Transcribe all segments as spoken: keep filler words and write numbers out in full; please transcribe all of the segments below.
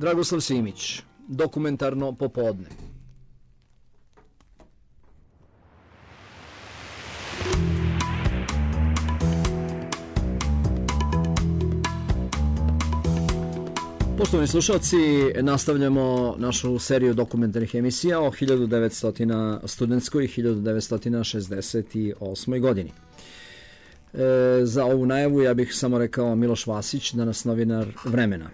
Dragoslav Simić, dokumentarno popodne. Poštovani slušalci, nastavljamo našu seriju dokumentarnih emisija o hiljadu devetsto studentskoj hiljadu devetsto šezdeset osmoj godini. E, za ovu najavu ja bih samo rekao Miloš Vasić, danas novinar Vremena.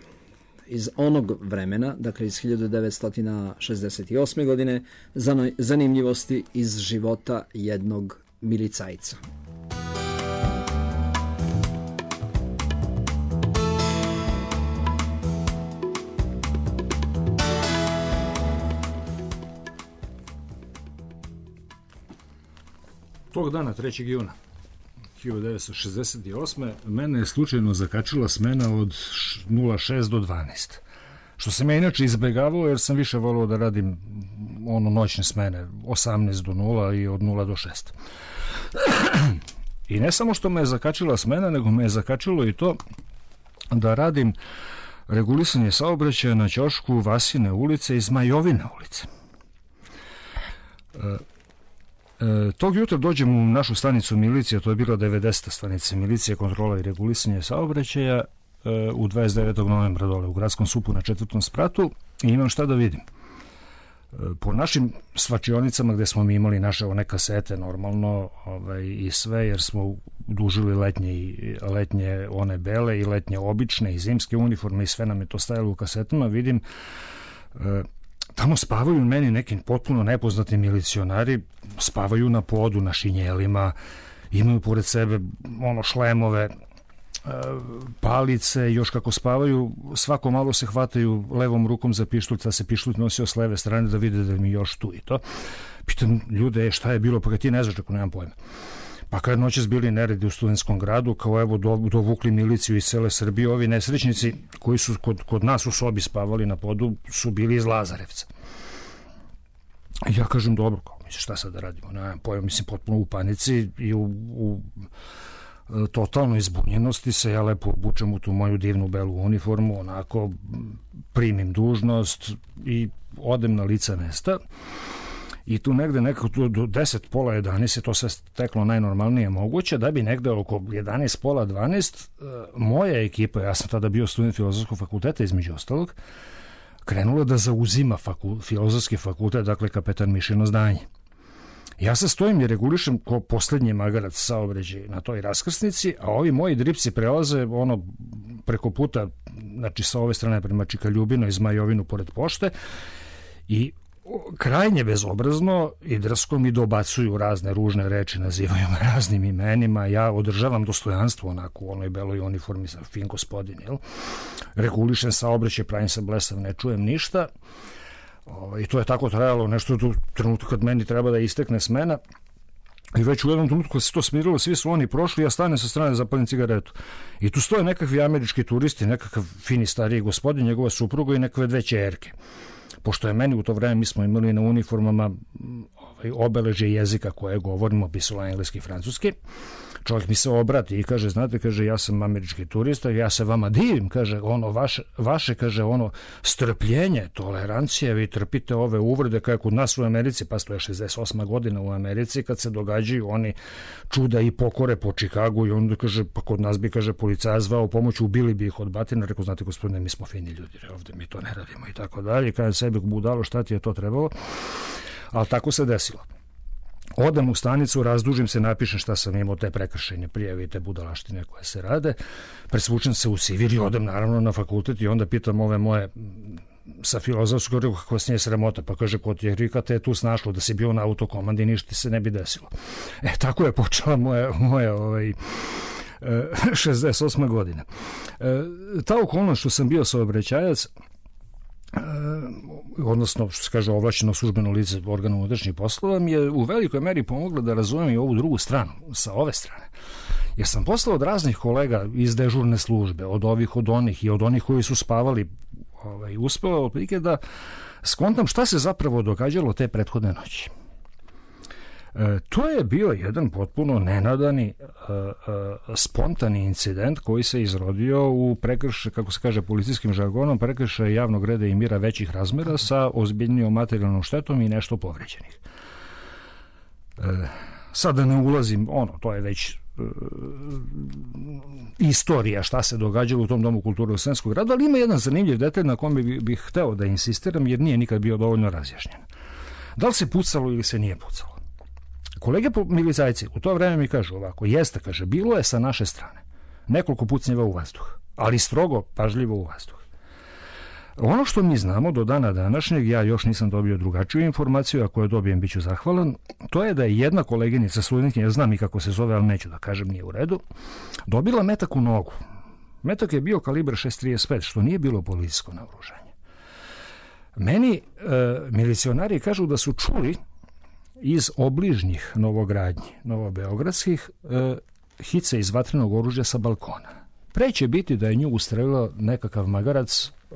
Iz onog vremena, dakle iz hiljadu devetsto šezdeset osme godine, zanimljivosti iz života jednog milicajca. Tog dana, trećeg juna hiljadu devetsto šezdeset osme. mene je slučajno zakačila smena od nula šest do dvanaest. Što sam ja inače izbegavao jer sam više volio da radim ono noćne smene osamnaest do nula i od nula do šest. I ne samo što me je zakačila smena, nego me je zakačilo i to da radim regulisanje saobraćaja na ćošku Vasine ulice i Zmajovine ulice. E, E, tog jutra dođem u našu stanicu milicije, to je bila devedeseta stanica milicije, kontrola i regulisanje saobraćaja, e, u dvadeset devetog novembra dole u gradskom supu na četvrtom spratu i imam šta da vidim. E, po našim svačionicama gde smo mi imali naše one kasete normalno ovaj, i sve, jer smo dužili letnje, i, letnje one bele i letnje obične i zimske uniforme i sve nam je to stajalo u kasetama, vidim e, tamo spavaju meni neki potpuno nepoznati milicionari, spavaju na podu, na šinjelima, imaju pored sebe ono šlemove, palice, još kako spavaju, svako malo se hvataju levom rukom za pištolj, da se pištolj nosio s leve strane da vide da mi još tu i to. Pitam ljude, šta je bilo, pa kad ti ne znaš, ako nemam pojma. Pa kad noćas bili neredi u Studentskom gradu, kao evo dovukli miliciju iz cele Srbije, ovi nesrećnici koji su kod, kod nas u sobi spavali na podu su bili iz Lazarevca. I ja kažem, dobro, kao, mislim, šta sad da radimo? Ne, pojma, mislim, potpuno u panici i u, u totalnoj izbunjenosti se ja lepo obučem u tu moju divnu belu uniformu, onako primim dužnost i odem na lice mesta. I tu negde nekako tu do deset, pola jedanaest je to sve teklo najnormalnije moguće, da bi negde oko jedanaest, pola dvanaest moja ekipa, ja sam tada bio student Filozofskog fakulteta između ostalog, krenula da zauzima faku, Filozofski fakultet, dakle kapetan Mišino zdanje. Ja se stojim i regulišem ko poslednji magarac saobraćaj na toj raskrsnici, a ovi moji dripci prelaze ono preko puta, znači sa ove strane prema Čika Ljubino i Zmajovinu pored pošte i krajnje bezobrazno i drsko mi dobacuju razne ružne reči, nazivaju me raznim imenima, ja održavam dostojanstvo onako u onoj beloj uniformi sa fin gospodin, jel? Regulišem saobraćaj, pravim se blesav, ne čujem ništa. O, i to je tako trajalo nešto do trenutka kad meni treba da istekne smena i već u jednom trenutku kad se to smirilo, svi su oni prošli, ja stanem sa strane, zapalim cigaretu i tu stoje nekakvi američki turisti, nekakav fini stariji gospodin, njegova supruga i nekakve dve ćerke. Pošto je meni u to vreme, mi smo imali na uniformama ovaj, obeležje jezika koje govorimo, pisalo engleski i francuski, čovjek mi se obrati i kaže, znate, kaže, ja sam američki turista, ja se vama divim, kaže, ono, vaše, vaše, kaže, ono, strpljenje, tolerancija, vi trpite ove uvrede, kao kod nas u Americi, pa to je šezdeset osma godina u Americi, kad se događaju oni čuda i pokore po Čikagu i onda, kaže, pa kod nas bi, kaže, policajac zvao pomoć, ubili bi ih od batina, rekao, znate, gospodine, mi smo fini ljudi, ovde mi to ne radimo i tako dalje, kaže sebi budalo, šta ti je to trebalo, ali tako se desilo. Odem u stanicu, razdužim se, napišem šta sam imao, te prekršajne prijave i te budalaštine koje se rade, presvučem se u civil i odem naravno na fakultet i onda pitam ove moje sa filozofskog, kako vas nije sramota, pa kaže, ko ti je rika, te je tu snašlo da si bio na autokomandi i ništa se ne bi desilo. E, tako je počela moja, moja ovaj, šezdeset osma godina. E, ta okolnost što sam bio saobraćajac, Uh, odnosno, što se kaže, ovlašćeno službeno lice organa unutrašnjih poslova, mi je u velikoj meri pomogla da razumem i ovu drugu stranu, sa ove strane. Jer sam poslao od raznih kolega iz dežurne službe, od ovih, od onih i od onih koji su spavali, ovaj, uspeo otprilike da skontam šta se zapravo događalo te prethodne noći. E, to je bio jedan potpuno nenadani, e, e, spontani incident koji se izrodio u prekršaj, kako se kaže policijskim žargonom, prekršaj javnog reda i mira većih razmera sa ozbiljnijom materijalnom štetom i nešto povređenih. E, sad da ne ulazim, ono, to je već e, istorija šta se događalo u tom Domu kulture u Sremskog gradu, ali ima jedan zanimljiv detalj na kome bih, bih hteo da insistiram, jer nije nikad bio dovoljno razjašnjen. Da li se pucalo ili se nije pucalo? Kolege milicajci u to vreme mi kažu ovako, jeste, kaže, bilo je sa naše strane nekoliko pucnjeva u vazduh, ali strogo, pažljivo u vazduh. Ono što mi znamo do dana današnjeg, ja još nisam dobio drugačiju informaciju, ako je dobijem bit ću zahvalan, to je da je jedna koleginica studentkinja, ja znam i kako se zove, ali neću da kažem, nije u redu, dobila metak u nogu. Metak je bio kalibar šest trideset pet, što nije bilo policijsko naoružanje. Meni e, milicionari kažu da su čuli iz obližnjih novogradnji, novobeogradskih, e, hice iz vatrenog oružja sa balkona. Pre će biti da je nju ustrelila nekakav magarac, e,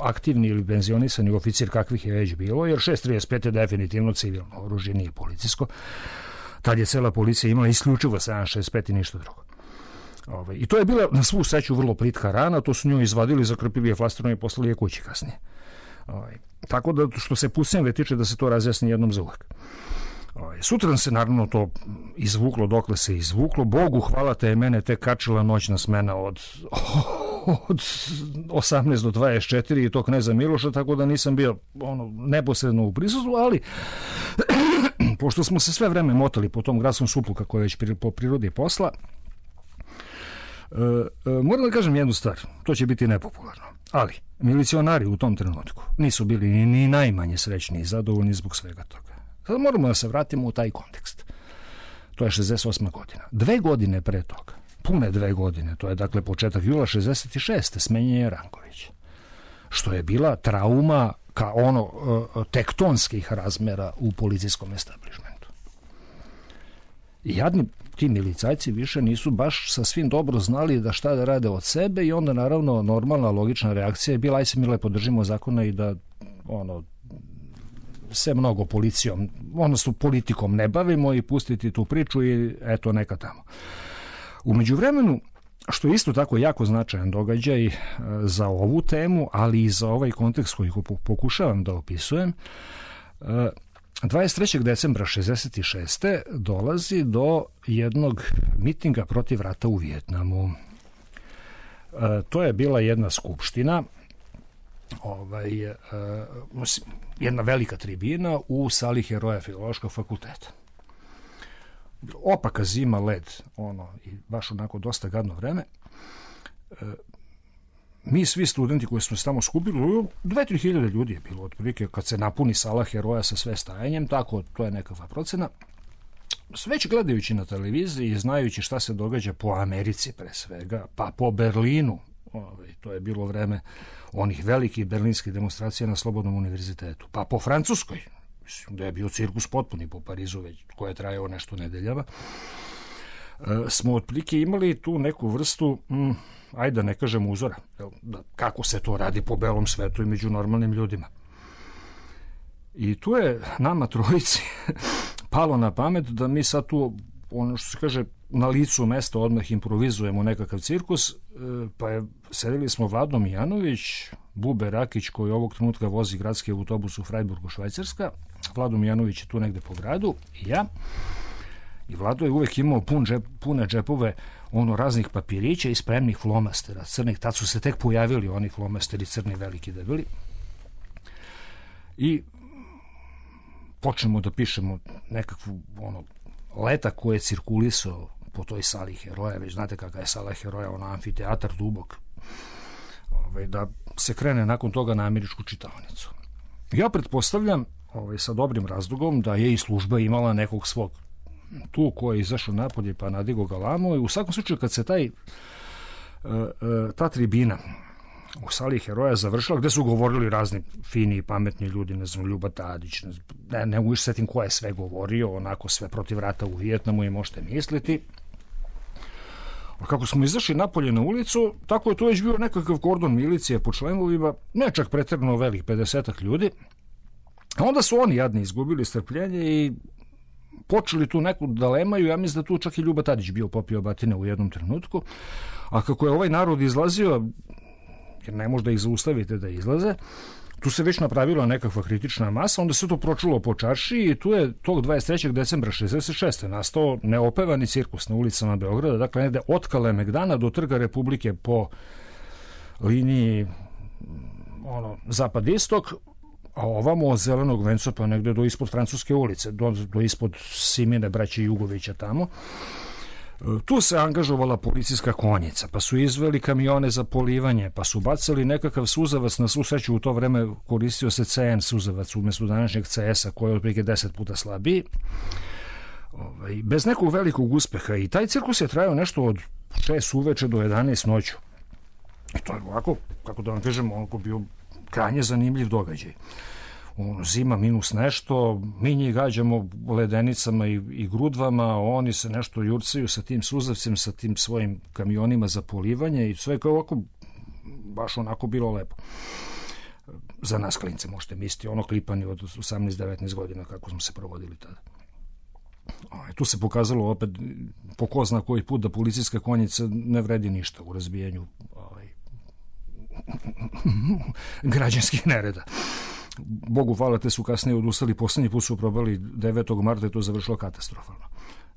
aktivni ili penzionisani oficir, kakvih je već bilo, jer šest trideset pet je definitivno civilno oružje, nije policijsko. Tad je cela policija imala isključivo sedam šezdeset pet i ništa drugo. Ove, I to je bila na svu sreću vrlo plitka rana, to su nju izvadili, zakrpili je flasterom i poslali je kući kasnije. Ove, tako da što se pucnjeve tiče, da se to razjasni jednom za uvek. Sutra se naravno to izvuklo dokle se izvuklo. Bogu hvala te je mene tek kačila noćna smena od, od osamnaest do dvadeset četiri i to kneza Miloša, tako da nisam bio ono, neposredno u prisustvu, ali pošto smo se sve vreme motali po tom gradskom suplu, kako je već po prirodi posla, e, e, moram da kažem jednu stvar, to će biti nepopularno, ali milicionari u tom trenutku nisu bili ni, ni najmanje srećni i zadovoljni zbog svega toga. Sada moramo da se vratimo u taj kontekst. To je šezdeset osma godina. Dve godine pre toga, pune dve godine, to je dakle početak jula šezdeset šeste smenjen je Ranković. Što je bila trauma ka ono tektonskih razmera u policijskom establišmentu. I jadni ti milicajci više nisu baš sa svim dobro znali da šta da rade od sebe i onda naravno normalna logična reakcija je bila aj se mi lepo držimo zakona i da ono se mnogo policijom, odnosno politikom ne bavimo i pustiti tu priču i eto neka tamo. U međuvremenu, što je isto tako jako značajan događaj za ovu temu, ali i za ovaj kontekst koji pokušavam da opisujem, dvadeset trećeg decembra šezdeset šeste dolazi do jednog mitinga protiv rata u Vijetnamu. To je bila jedna skupština, ovaj, uh, jedna velika tribina u sali heroja Filološkog fakulteta. Opaka zima, led, ono, i baš onako dosta gadno vreme. Uh, mi svi studenti koji smo se tamo skupili, dve tri hiljade ljudi je bilo otprilike kad se napuni sala heroja sa sve stajanjem, tako to je nekakva procena. Već gledajući na televiziji i znajući šta se događa po Americi pre svega, pa po Berlinu, ovaj, to je bilo vreme onih velikih berlinskih demonstracija na Slobodnom univerzitetu, pa po Francuskoj, mislim da je bio cirkus potpuni po Parizu, već koje je trajao nešto nedeljava, e, smo otprilike imali tu neku vrstu, mm, ajde da ne kažem uzora, da, kako se to radi po belom svetu i među normalnim ljudima. I tu je nama trojici palo na pamet da mi sad tu, ono što se kaže, na licu mesta odmah improvizujemo nekakav cirkus, pa je, sedeli smo Vlado Mijanović, Bube Rakić koji ovog trenutka vozi gradski autobus u Freiburgu, Švajcarska, Vlado Mijanović je tu negde po gradu i ja, i Vlado je uvek imao pun džep, pune džepove ono raznih papirića i spremnih flomastera crnih, tad su se tek pojavili oni flomasteri crni veliki debeli i počnemo da pišemo nekakvu ono letak koji je cirkulisao po toj sali heroja, već znate kakva je sala heroja, ona amfiteatar dubok, ovaj, da se krene nakon toga na američku čitaonicu. Ja pretpostavljam ovaj, sa dobrim razlogom da je i služba imala nekog svog tu koji je izašao napolje pa nadigo galamu i u svakom slučaju kad se taj ta tribina u sali heroja završila, gde su govorili razni fini i pametni ljudi, ne znam, Ljuba Tadić, ne, znam, ne, ne mogu setim ko je sve govorio, onako sve protiv rata u Vijetnamu i možete misliti. A kako smo izašli napolje na ulicu, tako je to već bio nekakav kordon milicije po členovima, ne čak pretjerano velik, pedesetak ljudi. A onda su oni jadni izgubili strpljenje i počeli tu neku da lemaju, ja mislim da tu čak i Ljuba Tadić bio popio batine u jednom trenutku, a kako je ovaj narod izlazio, jer ne možda ih zaustavite da izlaze, tu se već napravila nekakva kritična masa, onda se to pročulo po čaršiji i tu je tog dvadeset trećeg decembra šezdeset šeste nastao neopevani cirkus na ulicama Beograda, dakle negde od Kalemegdana do Trga Republike po liniji ono, zapad-istok, a ovamo od Zelenog venca pa negde do ispod Francuske ulice, do, do ispod Simine braće Jugovića tamo. Tu se angažovala policijska konjica, pa su izveli kamione za polivanje, pa su bacali nekakav suzavac, na svu sreću u to vreme koristio se C N suzavac umjesto današnjeg C S-a koji je otprilike deset puta slabiji. Ovaj, bez nekog velikog uspeha i taj cirkus je trajao nešto od šest uveče do jedanaest noću. I to je ovako, kako da vam kažem, onako bio krajnje zanimljiv događaj. Ono, zima minus nešto, mi njih gađamo ledenicama i, i grudvama, oni se nešto jurcaju sa tim suzavcem, sa tim svojim kamionima za polivanje i sve kao ovako, baš onako bilo lepo. Za nas klince možete misliti, ono klipani od osamnaest devetnaest godina kako smo se provodili tada. O, tu se pokazalo opet po ko zna koji put da policijska konjica ne vredi ništa u razbijanju ovaj, građanskih nereda. Bogu hvala, te su kasnije odustali, poslednji put su probali devetog marta i to završilo katastrofalno.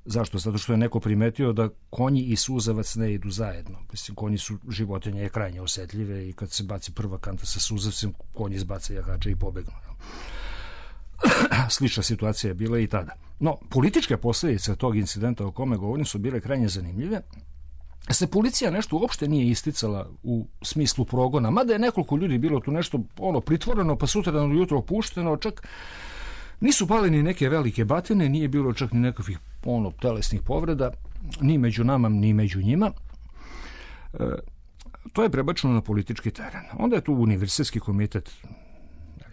Zašto? Zato što je neko primetio da konji i suzavac ne idu zajedno. Mislim, konji su životinje krajnje osetljive i kad se baci prva kanta sa suzavcem, konji izbace jahače i pobegnu. Slična situacija je bila i tada. No, političke posljedice tog incidenta o kome govorim su bile krajnje zanimljive. Se policija nešto uopšte nije isticala u smislu progona, mada je nekoliko ljudi bilo tu nešto ono pritvoreno, pa sutra ujutro pušteno, čak nisu pali ni neke velike batine, nije bilo čak ni nekakvih ono telesnih povreda, ni među nama, ni među njima. E, to je prebačeno na politički teren. Onda je tu Univerzitetski komitet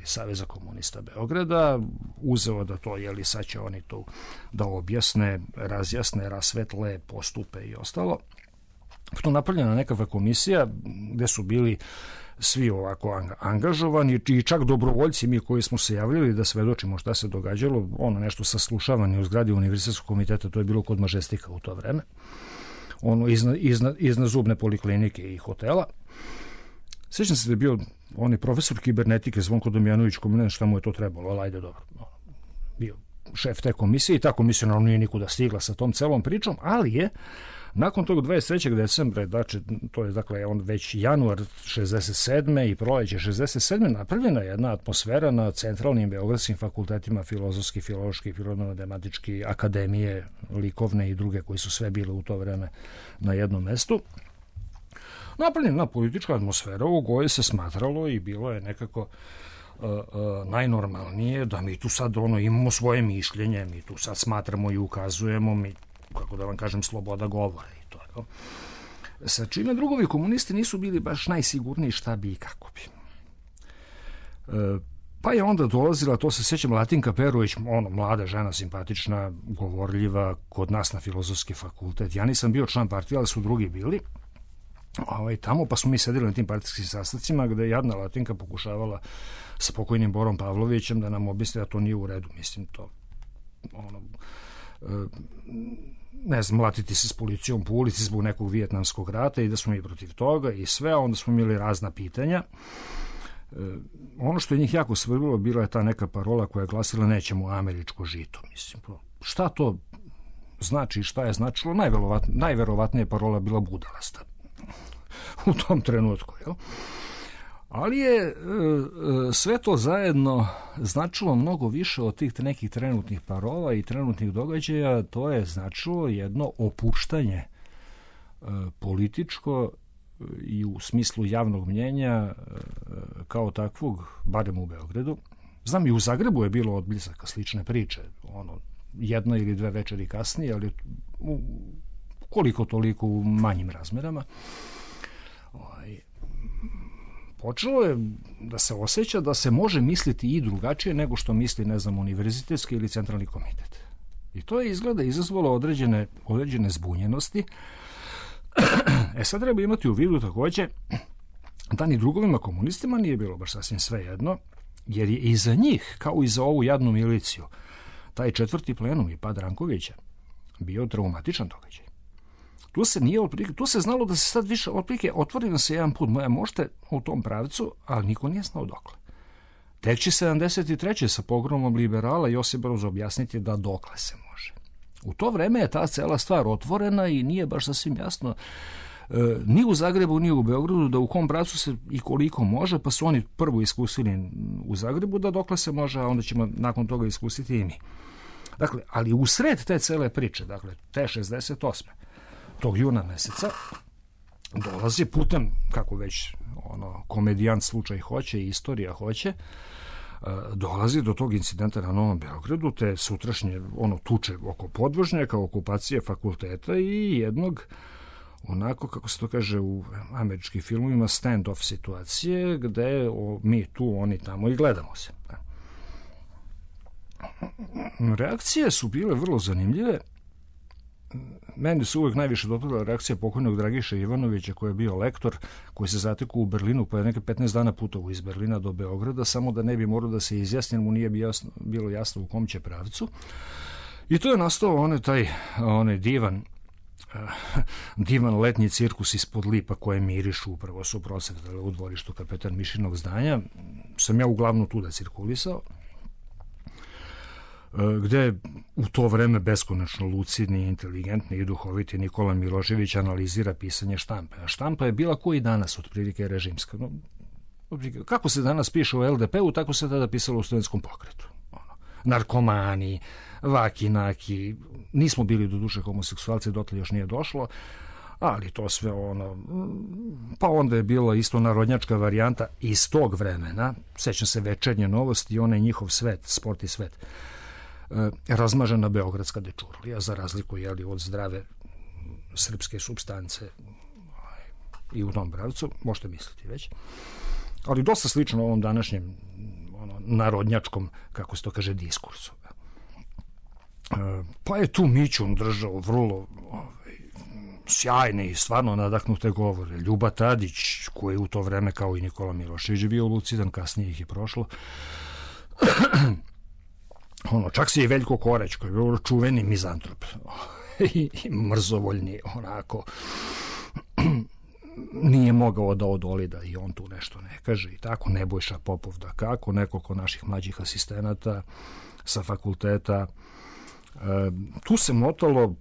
Saveza komunista Beograda uzeo da to, jeli sad će oni to da objasne, razjasne, rasvetle, postupe i ostalo. Tu napravljena nekakva komisija gde su bili svi ovako angažovani i čak dobrovoljci mi koji smo se javljali da svedočimo šta se događalo, ono nešto saslušavanje u zgradi Univerzitetskog komiteta, to je bilo kod Mažestika u to vreme, ono iznad, iznad, iznad zubne poliklinike i hotela. Sjećam se da je bio onaj profesor kibernetike Zvonko Domjanović, ko ne znam šta mu je to trebalo, ali ajde dobro, bio šef te komisije i ta komisija naravno nije nikuda stigla sa tom celom pričom, ali je nakon tog dvadeset trećeg decembra, znači, to je dakle on već januar šezdeset sedme i proleće šezdeset sedme napravljena jedna atmosfera na centralnim beogradskim fakultetima, filozofski, filološki, prirodno-matematički, akademije, likovne i druge koji su sve bile u to vreme na jednom mestu. Napravljena politička atmosfera u kojoj se smatralo i bilo je nekako uh, uh, najnormalnije da mi tu sad ono imamo svoje mišljenje, mi tu sad smatramo i ukazujemo, mi, kako da vam kažem, sloboda govora i to je. Sa čime drugovi komunisti nisu bili baš najsigurniji šta bi i kako bi. Uh, pa je onda dolazila, to se sjećam, Latinka Perović, ono, mlada žena, simpatična, govorljiva, kod nas na filozofski fakultet. Ja nisam bio član partije, ali su drugi bili. Ovaj, tamo, pa smo mi sedeli na tim partijskim sastavcima gde je jadna Latinka pokušavala sa pokojnim Borom Pavlovićem da nam objasni da to nije u redu. Mislim, to ono, ne znam, mlatiti se s policijom po ulici zbog nekog vijetnamskog rata i da smo mi protiv toga i sve, onda smo imali razna pitanja. Ono što je njih jako svrbilo bila je ta neka parola koja je glasila nećemo američko žito. Mislim, šta to znači, šta je značilo? Najverovatnije parola bila budalasta u tom trenutku, jel? Ali je e, sve to zajedno značilo mnogo više od tih nekih trenutnih parola i trenutnih događaja. To je značilo jedno opuštanje e, političko i u smislu javnog mnjenja e, kao takvog, barem u Beogradu. Znam, i u Zagrebu je bilo odblizaka slične priče, ono, jedna ili dve večeri kasnije, ali u, koliko toliko u manjim razmerama. Ovaj, počelo je da se osjeća da se može misliti i drugačije nego što misli, ne znam, univerzitetski ili centralni komitet. I to je izgleda izazvalo određene, određene zbunjenosti. E sad treba imati u vidu takođe da ni drugovima komunistima nije bilo baš sasvim sve jedno, jer je i za njih, kao i za ovu jadnu miliciju, taj četvrti plenum i pad Rankovića bio traumatičan događaj. Tu se nije otprilike, tu se znalo da se sad više otprilike otvori nam se jedan put, moja možete u tom pravcu, ali niko nije znao dokle. Tek će sedamdeset treće sa pogromom liberala Josip Broz objasniti da dokle se može. U to vreme je ta cela stvar otvorena i nije baš sasvim jasno e, ni u Zagrebu, ni u Beogradu da u kom pravcu se i koliko može, pa su oni prvo iskusili u Zagrebu da dokle se može, a onda ćemo nakon toga iskusiti i mi. Dakle, ali u sred te cele priče, dakle, te šezdeset osme tog juna meseca, dolazi putem, kako već ono, komedijant slučaj hoće i istorija hoće, dolazi do tog incidenta na Novom Beogradu, te sutrašnje ono tuče oko podvožnjaka, okupacije fakulteta i jednog onako, kako se to kaže u američkim filmovima, stand-off situacije, gde o, mi tu, oni tamo i gledamo se. Reakcije su bile vrlo zanimljive. Meni su uvijek najviše dopadala reakcija pokojnog Dragiša Ivanovića, koji je bio lektor, koji se zatekao u Berlinu, pa je neke petnaest dana putovao iz Berlina do Beograda, samo da ne bi morao da se izjasni, mu nije bilo jasno u kom će pravcu. I to je nastao onaj taj onaj divan divan letnji cirkus ispod lipa koje mirišu, upravo su prosvetale u dvorištu Kapetan Mišinog zdanja. Sam ja uglavnom tu da cirkulisao, gde u to vreme beskonačno lucidni, inteligentni i duhoviti Nikola Milošević analizira pisanje štampe. A štampa je bila koji danas otprilike režimska. No, kako se danas piše u el de pe u, tako se tada pisalo u studentskom pokretu. Ono, narkomani, vaki, naki, nismo bili do duše homoseksualci, dotle još nije došlo, ali to sve ono, pa onda je bila isto narodnjačka varijanta iz tog vremena, sećam se Večernje novosti i onaj njihov svet, sport i svet, razmažena beogradska dečurlija, za razliku jeli, od zdrave srpske supstance i u tom pravcu, možete misliti već. Ali dosta slično ovom današnjem ono, narodnjačkom, kako se to kaže, diskursu. Pa je tu Mićun držao vrlo ovaj, sjajne i stvarno nadahnute govore. Ljuba Tadić, koji je u to vreme kao i Nikola Milošević bio lucidan, kasnije ih je prošlo. Ono, čak se i Veljko Koreć, koji je bio čuveni mizantrop i, i mrzovoljni, onako, nije mogao da odoli da i on tu nešto ne kaže i tako. Nebojša Popov da kako, nekoliko naših mlađih asistenata sa fakulteta. E, tu se motalo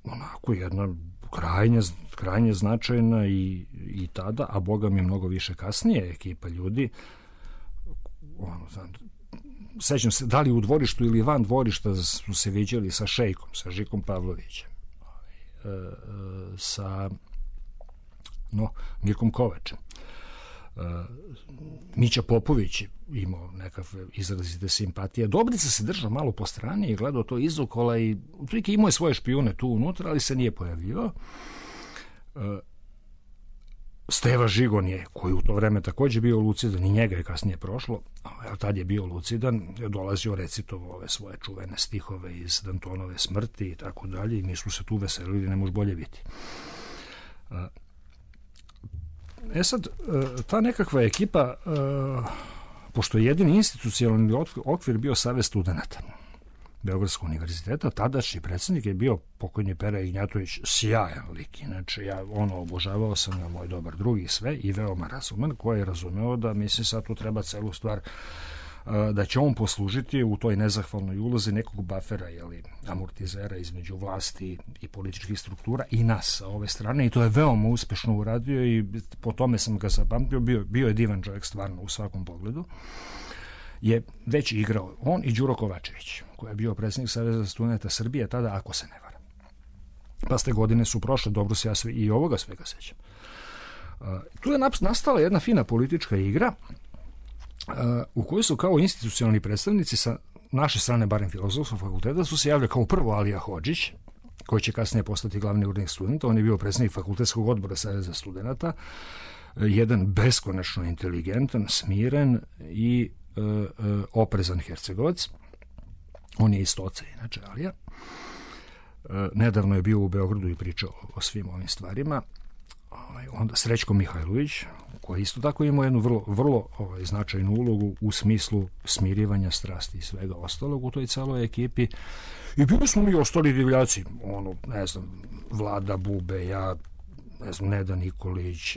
onako jedna krajnje, krajnje značajna i, i tada, a boga mi mnogo više kasnije, ekipa ljudi, ono, znam, sećam se, da li u dvorištu ili van dvorišta su se viđali sa Šejkom, sa Žikom Pavlovićem, e, e, sa no, Mirkom Kovačem. E, Mića Popović imao nekakve izrazite simpatije. Dobrica se držao malo po strani i gledao to izokola i otprilike imao je svoje špijune tu unutra, ali se nije pojavljivao. E, Steva Žigon je, koji u to vreme takođe bio lucidan, i njega je kasnije prošlo, ali tad je bio lucidan, je dolazio recitovo ove svoje čuvene stihove iz Dantonove smrti i tako dalje, i mi smo se tu veselili, ne može bolje biti. E sad, ta nekakva ekipa, pošto je jedini institucionalni okvir bio Savez studenata Beogradskog univerziteta, tadašnji predsjednik je bio pokojni Pera Ignjatović, sjajan lik, inače ja ono obožavao sam ga, moj dobar drugi sve i veoma razuman, koji je razumeo da mislim sad tu treba celu stvar, da će on poslužiti u toj nezahvalnoj ulozi nekog bafera, jeli, amortizera između vlasti i političkih struktura i nas sa ove strane, i to je veoma uspešno uradio i po tome sam ga zapamtio, bio, bio je divan čovjek stvarno u svakom pogledu. Je već igrao on i Đuro Kovačević, koji je bio predsjednik Saveza studenata Srbije tada, ako se ne varam. Pa ste godine su prošle, dobro se ja sve, i ovoga svega sećam. Uh, tu je nastala jedna fina politička igra uh, u kojoj su kao institucionalni predstavnici sa naše strane, barem Filozofskog fakulteta, su se javljali kao prvo Alija Hodžić, koji će kasnije postati glavni urednik studenta. On je bio predsjednik fakultetskog odbora Saveza studenata, jedan beskonačno inteligentan, smiren i uh, uh, oprezan Hercegovac. On je iz Stoca, inače, Alija. Uh, nedavno je bio u Beogradu i pričao o svim ovim stvarima. onda Srećko Mihajlović, koji isto tako imao jednu vrlo, vrlo ovaj, značajnu ulogu u smislu smirivanja strasti i svega ostalog u toj celoj ekipi. I bili smo mi ostali divljaci, ono, ne znam, Vlada Bube, ja, ne znam, Neda Nikolić,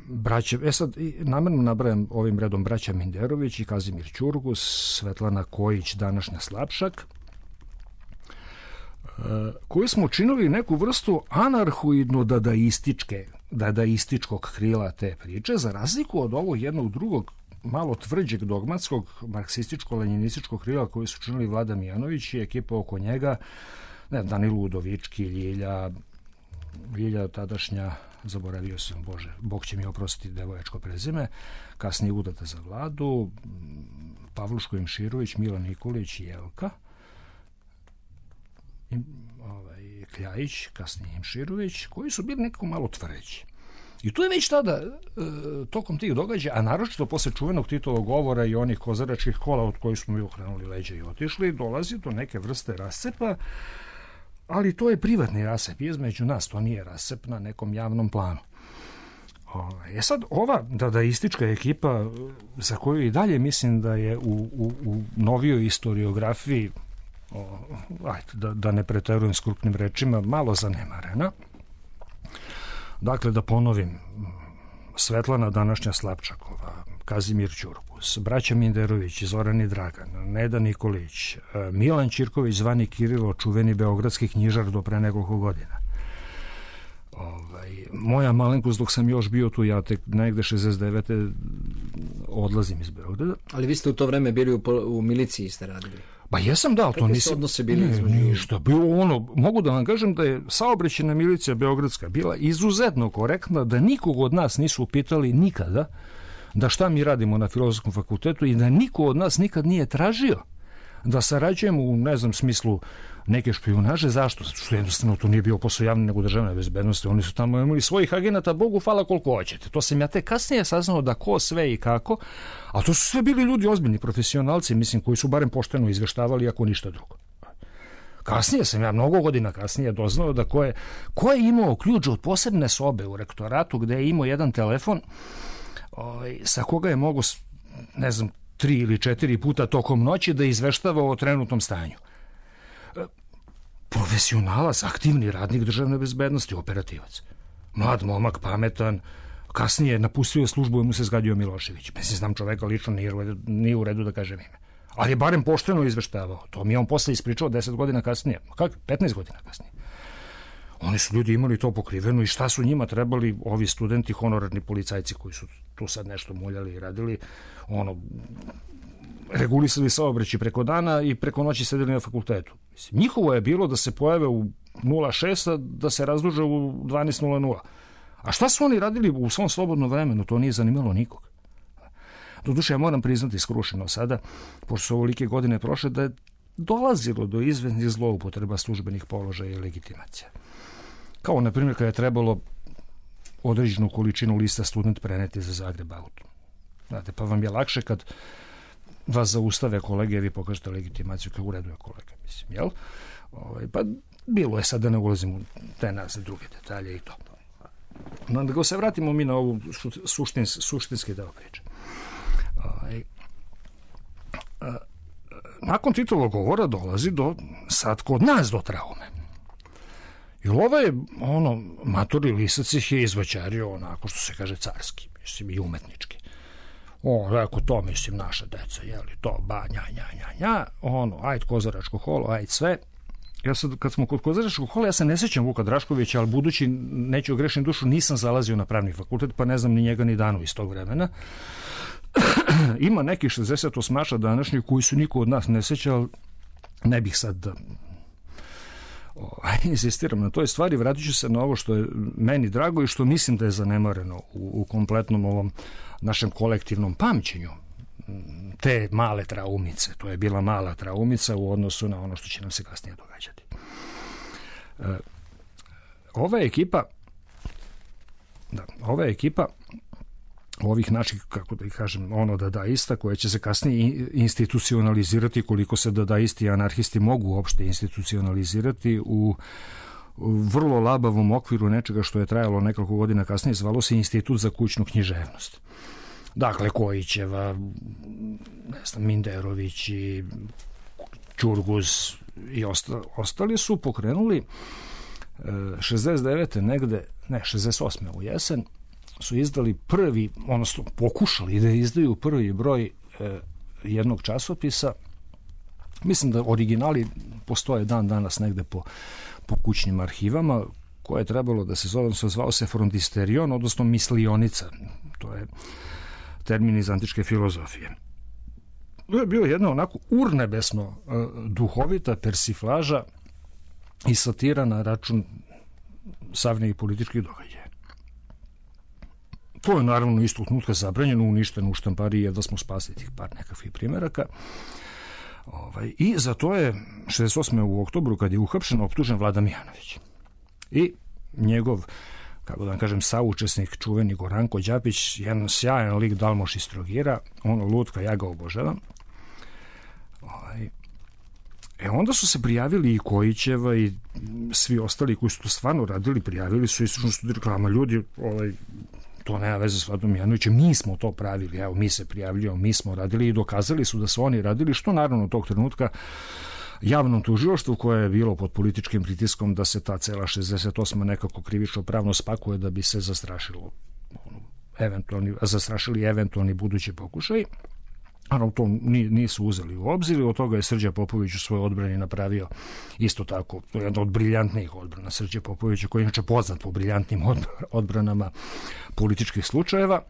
braće, e sad, namerno nabrajam ovim redom braća Minderović i Kazimir Ćurgus, Svetlana Kojić, današnja Slapšak, koji smo činili neku vrstu anarhoidno-dadaističke, dadaističkog krila te priče, za razliku od ovog jednog drugog, malo tvrđeg dogmatskog marksističko-leninističkog krila koji su činili Vlada Mijanović i ekipa oko njega, ne, Danilo Udovički, Ljilja, Ljilja tadašnja, zaboravio sam, Bože, Bog će mi oprostiti devojačko prezime, kasnije udata za Vladu, Pavluško Imširović, Milan Nikolić i Jelka, I, ovaj, Kljajić, kasnije Imširović, koji su bili nekako malo tvrđi. I tu je već tada, e, tokom tih događaja, a naročito posle čuvenog Titovog govora i onih kozaračkih kola od kojih smo mi okrenuli leđa i otišli, dolazi do neke vrste rascepa, ali to je privatni rascep između nas, to nije rascep na nekom javnom planu. E sad, ova dadaistička ekipa, za koju i dalje mislim da je u, u, u novijoj historiografiji, o, ajde, da, da ne preterujem s krupnim rečima, malo zanemarena. Dakle, da ponovim, Svetlana današnja Slapčakova, Kazimir Ćurgus, braća Minderović, Zoran i Dragan, Neda Nikolić, Milan Ćirković, zvani Kirilo, čuveni beogradski knjižar do pre nekoliko godina. Ovaj, moja malenkost, dok sam još bio tu, ja tek negde šezdeset devete odlazim iz Beograda. Ali vi ste u to vreme bili u, u miliciji, ste radili? Ba jesam, da, to nisam... odnose bili ne, ništa, bilo ono, mogu da vam kažem da je saobraćajna milicija beogradska bila izuzetno korektna, da nikog od nas nisu upitali nikada da šta mi radimo na Filozofskom fakultetu i da niko od nas nikad nije tražio da sarađujemo u, ne znam, smislu neke špijunaže. Zašto? Što jednostavno to nije bio posao javne nego državne bezbednosti. Oni su tamo imali svojih agenata, Bogu hvala koliko hoćete. To sam ja tek kasnije saznao da ko, sve i kako, a to su sve bili ljudi ozbiljni profesionalci, mislim, koji su barem pošteno izveštavali, ako ništa drugo. Kasnije sam ja, mnogo godina kasnije, doznao da ko je, ko je imao ključ od posebne sobe u rektoratu gde je imao jedan telefon ovaj, sa koga je mogo, ne znam, tri ili četiri puta tokom noći da izveštava o trenutnom stanju. Profesionalac, aktivni radnik državne bezbednosti, operativac. Mlad momak, pametan, kasnije napustio službu i mu se zgadio Milošević. Mislim, znam čoveka lično, nije u redu, nije u redu da kažem ime. Ali je barem pošteno izveštavao. To mi je on posle ispričao deset godina kasnije. Kako? petnaest godina kasnije. Oni su ljudi imali to pokriveno i šta su njima trebali ovi studenti, honorarni policajci koji su tu sad nešto muljali i radili, ono, regulisali saobraćaj preko dana i preko noći sedeli na fakultetu. Mislim, njihovo je bilo da se pojave u nula šest, da se razduže u dvanaest nula nula. A šta su oni radili u svom slobodnom vremenu? To nije zanimalo nikog. Doduše, ja moram priznati skrušeno sada, pošto su ovolike godine prošle, da je dolazilo do izvesnih zloupotreba službenih položaja i legitimacija. Kao, na primjer, kada je trebalo određenu količinu lista student preneti za Zagreb auto. Znate, pa vam je lakše kad vas zaustave kolege, vi pokažete legitimaciju, kao u redu je kolega, mislim, jel? Ovaj, pa bilo je sad da ne ulazim u te nazve, druge detalje i to. No, da ga se vratimo mi na ovu suštins, suštinski deo priče. Ovaj, a, nakon Titovog govora dolazi do, sad kod nas do traume. Jer ovaj, ono, matori lisac ih je izvaćario onako što se kaže carski, mislim, i umetnički. O, rekao, to mislim naša deca, jeli, to, ba, nja, nja, nja, nja, ono, ajde kozaračko holo, ajde sve. Ja sad, kad smo kod kozaračkog hola, ja se ne sećam Vuka Draškovića, ali budući neću ogrešiti dušu, nisam zalazio na pravni fakultet, pa ne znam ni njega ni danu iz tog vremena. Ima neki šezdeset osmaša današnjih koji su niko od nas ne seća, ali ne bih sad da o, insistiram na toj stvari, vratit ću se na ovo što je meni drago i što mislim da je zanemareno u, u kompletnom ovom našem kolektivnom pamćenju te male traumice. To je bila mala traumica u odnosu na ono što će nam se kasnije događati. E, ova ekipa da, ova ekipa ovih naših, kako da ih kažem, ono dadaista, koje će se kasnije institucionalizirati, koliko se dadaisti i anarhisti mogu uopšte institucionalizirati u vrlo labavom okviru nečega što je trajalo nekoliko godina kasnije, zvalo se Institut za kućnu književnost. Dakle, Kojićeva, ne znam, Minderović i Ćurguz i osta, ostali su pokrenuli šezdeset devete negde, ne, šezdeset osme u jesen, su izdali prvi, odnosno pokušali da izdaju prvi broj e, jednog časopisa. Mislim da originali postoje dan danas negde po, po kućnim arhivama, koje je trebalo da se zove, zvao se Frontisterion, odnosno mislionica. To je termin iz antičke filozofije. To je bilo jedna onako urnebesno e, duhovita persiflaža i satira na račun savremenih političkih događaja. To je naravno istog trenutka zabranjeno, uništeno u štampariji, jedva smo spasili tih par nekakvih primjeraka. Ovaj, I za to je šezdeset osme u oktobru, kad je uhapšen, optužen Vlada Mijanović. I njegov, kako da vam kažem, saučesnik, čuveni Goranko Đapić, jedan sjajan lik Dalmoš iz Trogira, ono lutka, ja ga obožavam. Ovaj, E onda su se prijavili i Kojićeva i svi ostali koji su to stvarno radili, prijavili su istražno studiju reklama. Ljudi, ovaj, to nema veze s Vladom Mijanovićem, mi smo to pravili, evo, mi se prijavljamo, mi smo radili i dokazali su da su oni radili, što naravno tog trenutka javnom tužilaštvu koje je bilo pod političkim pritiskom da se ta cela šezdeset osma nekako krivično pravno spakuje da bi se zastrašilo eventualni, zastrašili eventualni budući pokušaj. Naravno, to nisu uzeli u obzir, od toga je Srđa Popović u svojoj odbrani napravio isto tako, to je jedna od briljantnijih odbrana Srđa Popovića, koji je inače poznat po briljantnim odbranama političkih slučajeva.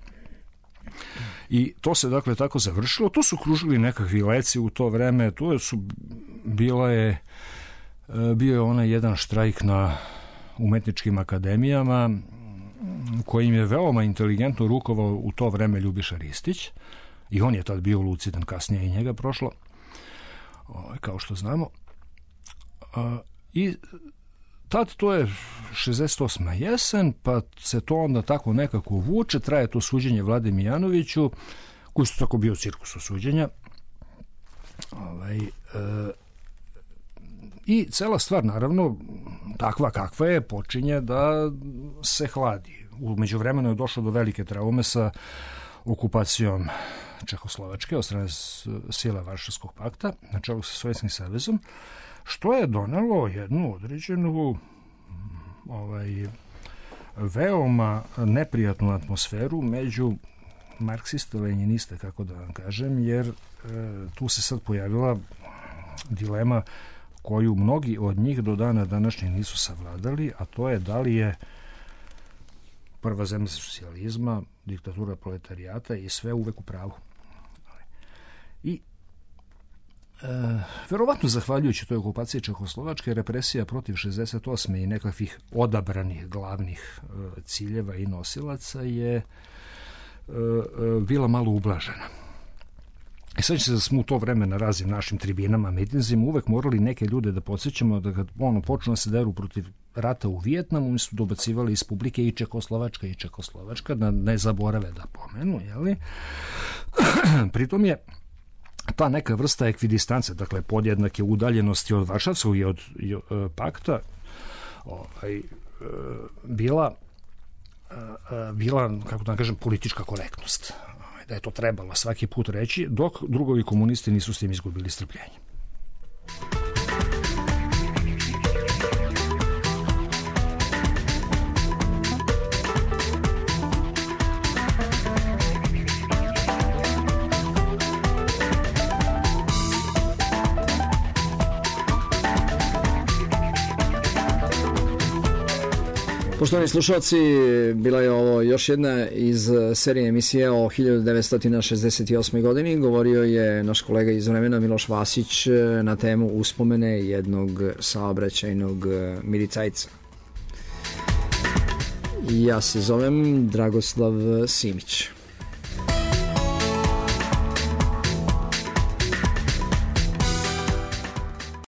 I to se dakle tako završilo. Tu su kružili nekakvi leci u to vreme, tu su bila je bio je onaj jedan štrajk na umetničkim akademijama kojim je veoma inteligentno rukovao u to vreme Ljubiša Ristić. I on je tad bio lucidan, kasnije i njega prošlo, kao što znamo. I tad to je šezdeset osma jesen, pa se to onda tako nekako vuče, traje to suđenje Vlade Mijanoviću, koji su tako bio cirkusu suđenja. Ovaj, e, I cela stvar, naravno, takva kakva je, počinje da se hladi. U međuvremenu je došlo do velike traume sa okupacijom Čehoslovačke od strane sile Varšavskog pakta na čelu sa Sovjetskim savezom, što je donelo jednu određenu ovaj, veoma neprijatnu atmosferu među marksiste, lenjiniste, kako da vam kažem, jer e, tu se sad pojavila dilema koju mnogi od njih do dana današnjeg nisu savladali, a to je da li je prva zemlja socijalizma, diktatura proletarijata i sve uvek u pravu. I e, verovatno zahvaljujući toj okupaciji Čehoslovačke, represija protiv šezdeset osme i nekakvih odabranih glavnih e, ciljeva i nosilaca je e, e, bila malo ublažena. I sad će se da smo u to vreme na raznim našim tribinama, mitinzima uvek morali neke ljude da podsjećamo da kad ono počnu da se deru protiv rata u Vijetnamu, mi su dobacivali iz publike i Čekoslovačka i Čekoslovačka, da ne zaborave da pomenu, jeli? Pritom je ta neka vrsta ekvidistance, dakle podjednake udaljenosti od Varšavskog i od, i od pakta, ovaj, bila, bila, kako da kažem, politička korektnost. Da je to trebalo svaki put reći, dok drugovi komunisti nisu s tim izgubili strpljenje. Poštovani slušalci, bila je ovo još jedna iz serije emisije o hiljadu devetsto šezdeset osmoj godini. Govorio je naš kolega iz vremena Miloš Vasić na temu uspomene jednog saobraćajnog milicajca. Ja se zovem Dragoslav Simić.